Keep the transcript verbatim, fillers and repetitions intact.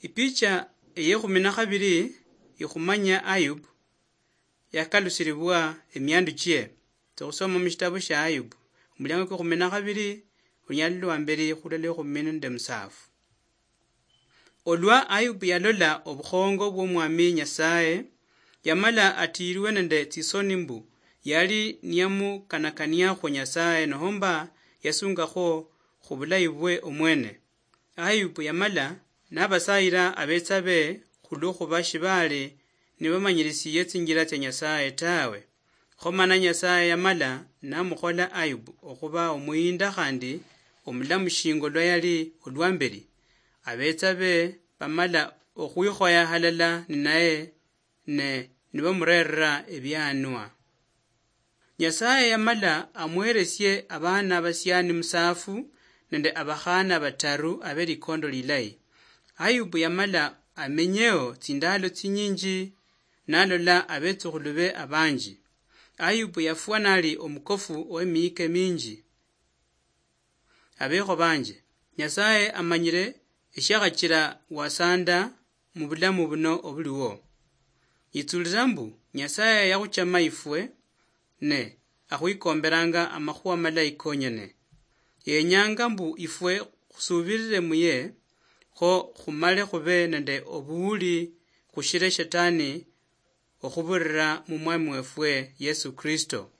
Ipicha eyekhumi na khabiri ikhumanya Ayubu yakalusiribwa emiandu chie. Tsokhusoma mushitabu shia Ayubu, omuliango kwekhumi na khabiri, olunyali lwa mberi khulala ekhumi nende musafu. Olwa Ayubu yalola obukhongo bw'Omwami Nyasaye, yamala atiirwe nende tsisoni mbu yali niyamukanakaniakhwo Nyasaye nohomba yasungakhwo khubulayi bwe omwene. Ayubu yamala nabasayira abetsa be khulwo khuba shibali nibamanyirisiye tsinjira tsia Nyasaye tawe. Kho mana Nyasaye yamala namukhola Ayubu okhuba omuyinda khandi omulamu shinga olwa yali olwamberi. Abetsa be bamala okhwikhoya halala ninaye ne nibamurerera ebianwa. Nyasaye yamala amuheresie abaana abasiani musafu nende abakhana bataru abe likondo lilayi. Ayubu yamala amenyeo tsindalo tsinyinji nalola abetsukhulu be abanji. Ayubu yafwa nali omukofu owemiyike minji. Abekho banje, Nyasaye amanyire eshiakhachira wasanda mubulamu buno obuliwo. Yitsulira mbu Nyasaye yakhuchama ifwe ne akhwikomberanga amakhuwa malayi konyene. Yenyanga mbu ifwe khusubirire muye kho khumale khube nende obuwuli khushire shetani okhubirira mumwami wefwe Yesu Kristo.